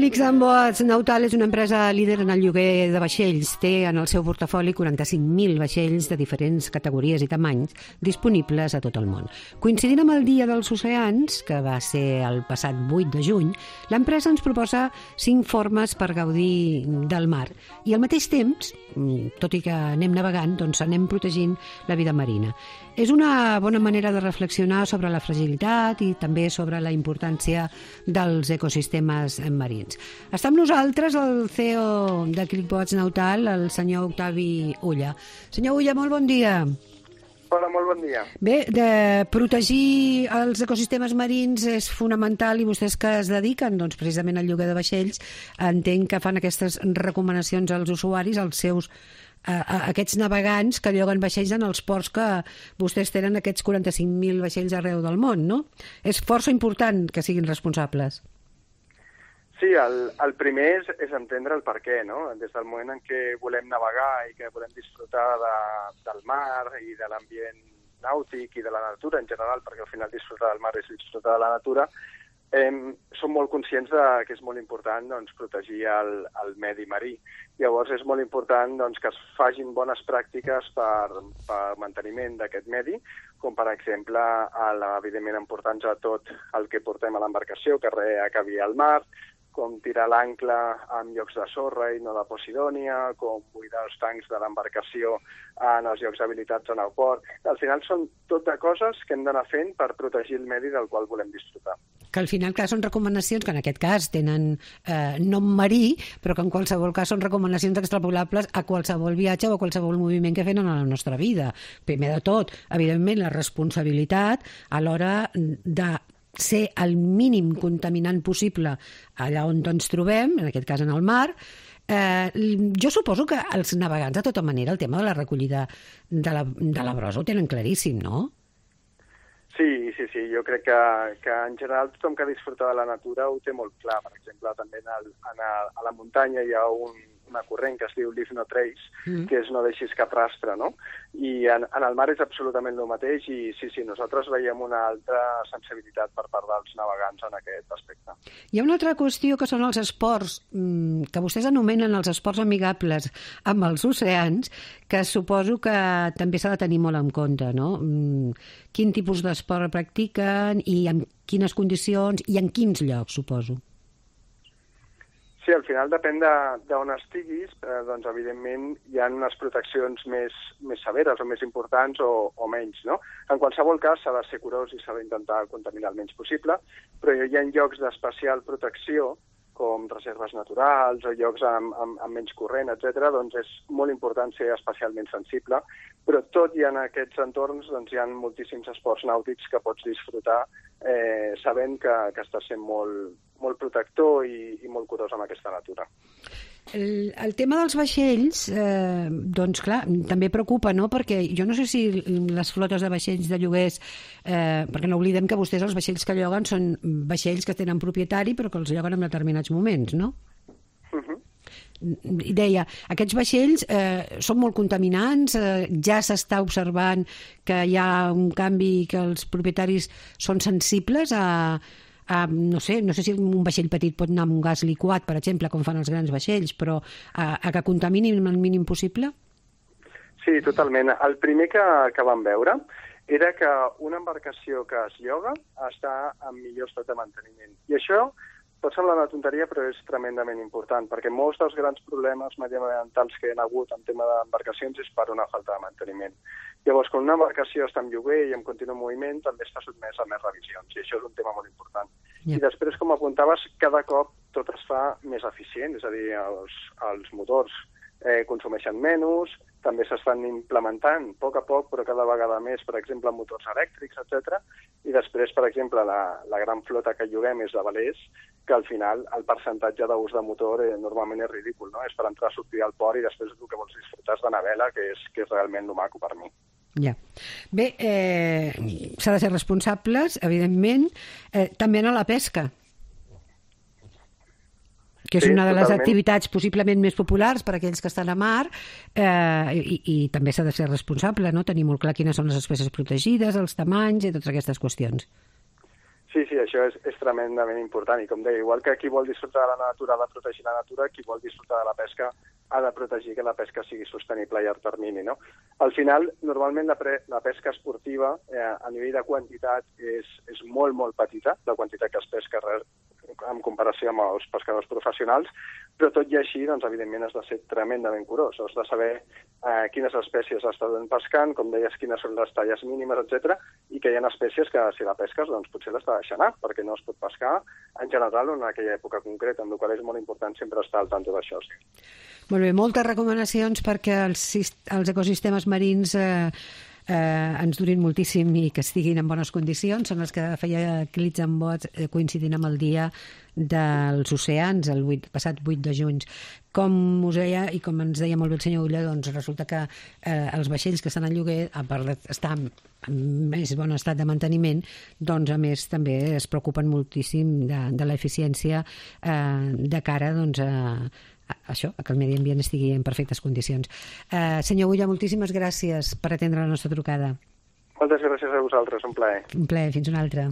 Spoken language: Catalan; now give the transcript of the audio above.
Felix Amboats Nautal és una empresa líder en el lloguer de vaixells. Té en el seu portafoli 45.000 vaixells de diferents categories i tamanys disponibles a tot el món. Coincidint amb el Dia dels Oceans, que va ser el passat 8 de juny, l'empresa ens proposa 5 formes per gaudir del mar. I al mateix temps, tot i que anem navegant, doncs anem protegint la vida marina. És una bona manera de reflexionar sobre la fragilitat i també sobre la importància dels ecosistemes marins. Està amb nosaltres el CEO de ClickBoats Nautal, el senyor Octavi Ulla. Senyor Ulla, molt bon dia. Hola, molt bon dia. Bé, de protegir els ecosistemes marins és fonamental i vostès que es dediquen doncs, precisament al lloguer de vaixells, entenc que fan aquestes recomanacions als usuaris, als seus a aquests navegants que lloguen vaixells en els ports que vostès tenen aquests 45.000 vaixells arreu del món, no? És força important que siguin responsables. Sí, el primer és entendre el per què, no? Des del moment en què volem navegar i que volem disfrutar del mar i de l'ambient nàutic i de la natura en general, perquè al final disfrutar del mar és disfrutar de la natura, som molt conscients que és molt important protegir el medi marí. Llavors és molt important que es facin bones pràctiques per manteniment d'aquest medi, com per exemple, evidentment, emportant-nos a tot el que portem a l'embarcació, que res acabi al mar, com tirar l'ancle en llocs de sorra i no de posidònia, com buidar els tancs de l'embarcació en els llocs habilitats en el port. Al final són tot de coses que hem d'anar fent per protegir el medi del qual volem disfrutar. Que al final, clar, són recomanacions que en aquest cas tenen nom marí, però que en qualsevol cas són recomanacions extrapolables a qualsevol viatge o a qualsevol moviment que fem en la nostra vida. Primer de tot, evidentment, la responsabilitat a l'hora de ser el mínim contaminant possible allà on ens trobem, en aquest cas en el mar. Jo suposo que els navegants, de tota manera, el tema de la recollida de la brossa ho tenen claríssim, no? Sí. Jo crec que en general tothom que disfruta de la natura ho té molt clar. Per exemple, també a la muntanya hi ha una corrent que es diu Leave No Trace, que és no deixis cap rastre, no? I en el mar és absolutament el mateix i sí, nosaltres veiem una altra sensibilitat per part dels navegants en aquest aspecte. Hi ha una altra qüestió que són els esports, que vostès anomenen els esports amigables amb els oceans, que suposo que també s'ha de tenir molt en compte, no? Quin tipus d'esport practiquen i en quines condicions i en quins llocs, suposo? Sí, al final depèn d'on estiguis, doncs evidentment hi ha unes proteccions més severes o més importants o menys, no? En qualsevol cas s'ha de ser curós i s'ha d'intentar contaminar el menys possible, però hi ha llocs d'especial protecció, com reserves naturals o llocs amb menys corrent, etc., doncs és molt important ser especialment sensible, però tot i en aquests entorns doncs hi ha moltíssims esports nàutics que pots disfrutar sabent que estàs sent molt protector i molt curós amb aquesta natura. El tema dels vaixells, doncs clar, també preocupa, no? Perquè jo no sé si les flotes de vaixells de lloguers, perquè no oblidem que vostès els vaixells que lloguen són vaixells que tenen propietari però que els lloguen en determinats moments, no? I deia, aquests vaixells són molt contaminants, ja s'està observant que hi ha un canvi, que els propietaris són sensibles no sé si un vaixell petit pot anar amb un gas liquat, per exemple, com fan els grans vaixells, però a que contaminin el mínim possible? Sí, totalment. El primer que vam veure era que una embarcació que es lloga està en millor estat de manteniment. I això pot semblar una tonteria, però és tremendament important, perquè molts dels grans problemes mediambientals que hi ha hagut en tema d'embarcacions és per una falta de manteniment. Llavors, quan una embarcació està en lloguer i en continu moviment, també està sotmesa a més revisions, i això és un tema molt important. I després, com apuntaves, cada cop tot es fa més eficient, és a dir, els motors consumeixen menys, també s'estan implementant a poc, però cada vegada més, per exemple, motors elèctrics, etc. I després, per exemple, la gran flota que lloguem és de velers, que al final el percentatge d'ús de motor normalment és ridícul, no? És per entrar a sortir al port i després el que vols disfrutar és de la vela, que és realment lo maco per mi. Ja. Bé, s'ha de ser responsables, evidentment, també en la pesca, que és una de les activitats possiblement més populars per a aquells que estan a mar, i també s'ha de ser responsable, no? Tenir molt clar quines són les espècies protegides, els tamanys i totes aquestes qüestions. Sí, això és tremendament important i com deia, igual que qui vol disfrutar de la natura ha de protegir la natura, qui vol disfrutar de la pesca ha de protegir que la pesca sigui sostenible a llarg termini, no? Al final, normalment la pesca esportiva a nivell de quantitat és molt, molt petita, la quantitat que es pesca en comparació amb els pescadors professionals, però tot i així, doncs, evidentment, has de ser tremendament curós. Has de saber quines espècies estàs pescant, com deies, quines són les talles mínimes, etc. I que hi ha espècies que, si la pesques, doncs potser l'has de deixar anar, perquè no es pot pescar en general o en aquella època concreta, amb la qual és molt important sempre estar al tanto d'això. Sí. Molt bé, moltes recomanacions perquè els ecosistemes marins ens durin moltíssim i que estiguin en bones condicions. Són els que feia Clits en Bots coincidint amb el dia dels oceans, el passat 8 de juny. Com us deia, i com ens deia molt bé el senyor Ulla, doncs resulta que els vaixells que estan en lloguer, a part d'estar en més bon estat de manteniment, doncs a més també es preocupen moltíssim de l'eficiència de cara doncs, a que el medi ambient estigui en perfectes condicions. Senyor Ulla, moltíssimes gràcies per atendre la nostra trucada. Moltes gràcies a vosaltres, un plaer. Un plaer, fins una altra.